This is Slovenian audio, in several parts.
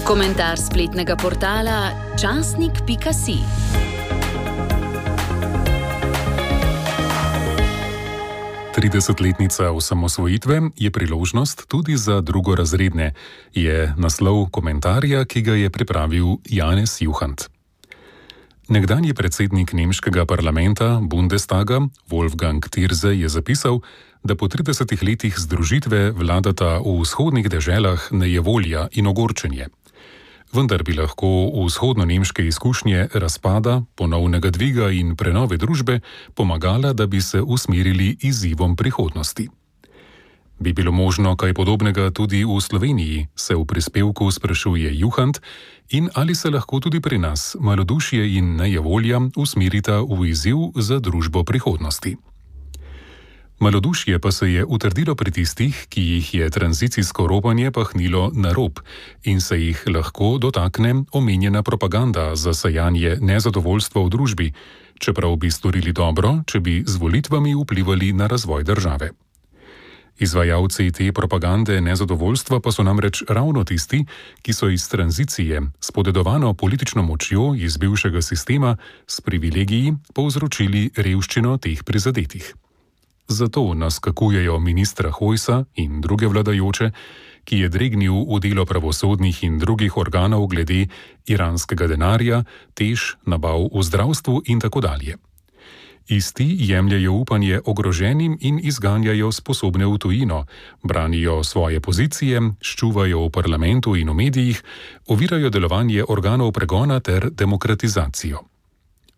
Komentar spletnega portala časnik.si. 30-letnica osamosvojitve je priložnost tudi za drugorazredne, je naslov komentarja, ki ga je pripravil Janez Juhant. Nekdanji predsednik nemškega parlamenta Bundestaga Wolfgang Thierse je zapisal, da po 30 letih združitve vladata v vzhodnih deželah nejevolja in ogorčenje. Vendar bi lahko vzhodno-nemške izkušnje razpada, ponovnega dviga in prenove družbe pomagala, da bi se usmerili izzivom prihodnosti. Bi bilo možno kaj podobnega tudi v Sloveniji, se v prispevku sprašuje Juhant, in ali se lahko tudi pri nas malodušje in nejevolja usmerita v izziv za družbo prihodnosti. Malodušje pa se je utrdilo pri tistih, ki jih je tranzicijsko ropanje pahnilo na rob in se jih lahko dotakne omenjena propaganda za sajanje nezadovoljstva v družbi, čeprav bi storili dobro, če bi z volitvami vplivali na razvoj države. Izvajalci te propagande nezadovoljstva pa so namreč ravno tisti, ki so iz tranzicije s podedovano politično močjo iz bivšega sistema s privilegiji povzročili revščino teh prizadetih. Zato naskakujejo ministra Hojsa in druge vladajoče, ki je dregnil v delo pravosodnih in drugih organov glede iranskega denarja, tež, nabav v zdravstvu in tako dalje. Isti jemljajo upanje ogroženim in izganjajo sposobne v tujino, branijo svoje pozicije, ščuvajo v parlamentu in v medijih, ovirajo delovanje organov pregona ter demokratizacijo.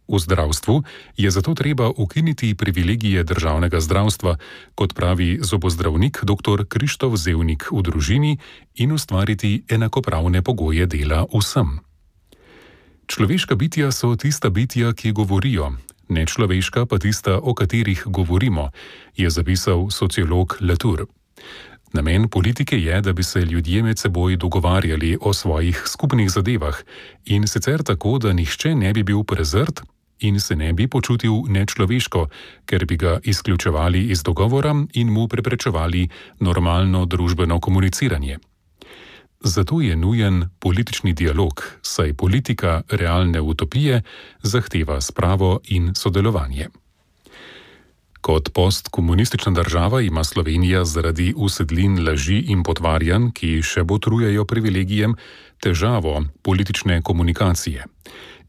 V zdravstvu je zato treba ukiniti privilegije državnega zdravstva, kot pravi zobozdravnik dr. Krištof Zevnik v družini, in ustvariti enakopravne pogoje dela vsem. Človeška bitja so tista bitja, ki govorijo, nečloveška pa tista, o katerih govorimo, je zapisal sociolog Latour. Namen politike je, da bi se ljudje med seboj dogovarjali o svojih skupnih zadevah in sicer tako, da nihče ne bi bil prezrt in se ne bi počutil nečloveško, ker bi ga izključevali iz dogovora in mu preprečevali normalno družbeno komuniciranje. Zato je nujen politični dialog, saj politika realne utopije zahteva spravo in sodelovanje. Kot postkomunistična država ima Slovenija zaradi usedlin laži in potvarjanj, ki še botrujejo privilegijem, težavo politične komunikacije.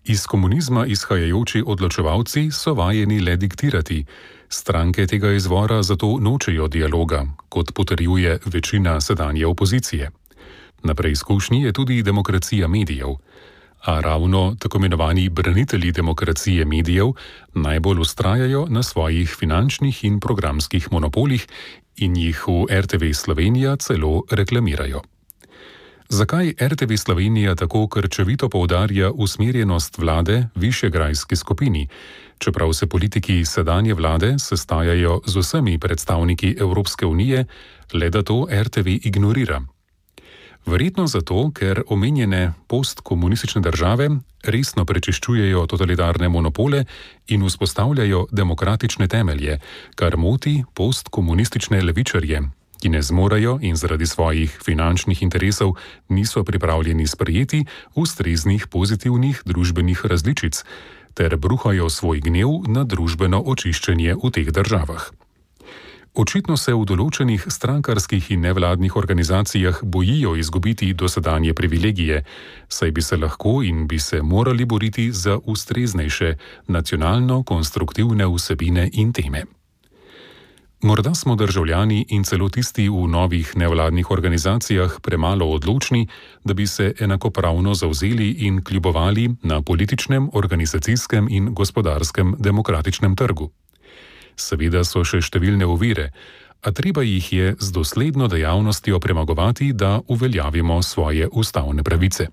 Iz komunizma izhajajoči odločevalci so vajeni le diktirati. Stranke tega izvora zato nočejo dialoga, kot potrjuje večina sedanje opozicije. Na preizkušnji je tudi demokracija medijev. A ravno tako imenovani branitelji demokracije medijev najbolj vztrajajo na svojih finančnih in programskih monopolih in jih v RTV Slovenija celo reklamirajo. Zakaj RTV Slovenija tako krčevito poudarja usmerjenost vlade višegrajski skupini, čeprav se politiki sedanje vlade sestajajo z vsemi predstavniki Evropske unije, le da to RTV ignorira? Verjetno zato, ker omenjene postkomunistične države resno prečiščujejo totalitarne monopole in vzpostavljajo demokratične temelje, kar moti postkomunistične levičarje, ki ne zmorejo in zaradi svojih finančnih interesov niso pripravljeni sprejeti ustreznih pozitivnih družbenih različic, ter bruhajo svoj gnev na družbeno očiščenje v teh državah. Očitno se v določenih strankarskih in nevladnih organizacijah bojijo izgubiti dosedanje privilegije, saj bi se lahko in bi se morali boriti za ustreznejše nacionalno-konstruktivne vsebine in teme. Morda smo državljani in celo tisti v novih nevladnih organizacijah premalo odločni, da bi se enakopravno zavzeli in kljubovali na političnem, organizacijskem in gospodarskem demokratičnem trgu. Seveda so še številne ovire, a treba jih je z dosledno dejavnostjo premagovati, da uveljavimo svoje ustavne pravice.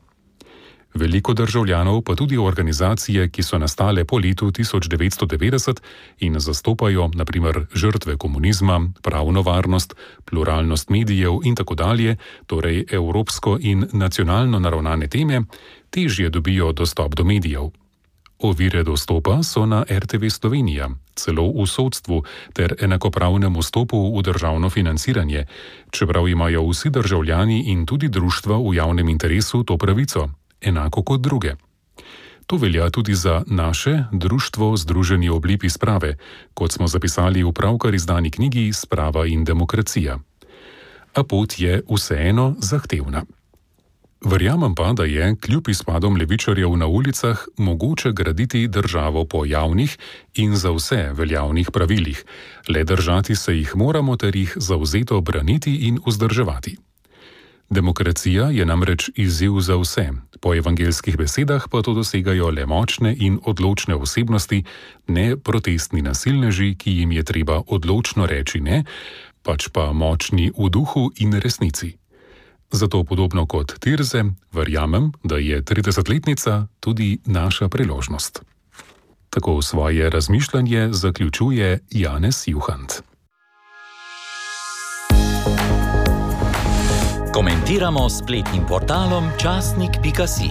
Veliko državljanov, pa tudi organizacije, ki so nastale po letu 1990 in zastopajo na primer žrtve komunizma, pravno varnost, pluralnost medijev in tako dalje, torej evropsko in nacionalno naravnane teme, težje dobijo dostop do medijev. Ovire dostopa so na RTV Slovenija, celo v sodstvu ter enakopravnem vstopu v državno financiranje, čeprav imajo vsi državljani in tudi društva v javnem interesu to pravico, enako kot druge. To velja tudi za naše društvo Združeni oblipi sprave, kot smo zapisali v pravkar izdani knjigi Sprava in demokracija. A pot je vseeno zahtevna. Verjamem pa, da je, kljub izpadom levičarjev na ulicah, mogoče graditi državo po javnih in za vse veljavnih pravilih, le držati se jih moramo ter jih zavzeto braniti in vzdrževati. Demokracija je namreč izziv za vse, po evangeljskih besedah pa to dosegajo le močne in odločne osebnosti, ne protestni nasilneži, ki jim je treba odločno reči ne, pač pa močni v duhu in resnici. Zato podobno kot Tirze, verjamem, da je 30-letnica tudi naša priložnost. Tako svoje razmišljanje zaključuje Janez Juhant. Komentiramo s spletnim portalom časnik.si.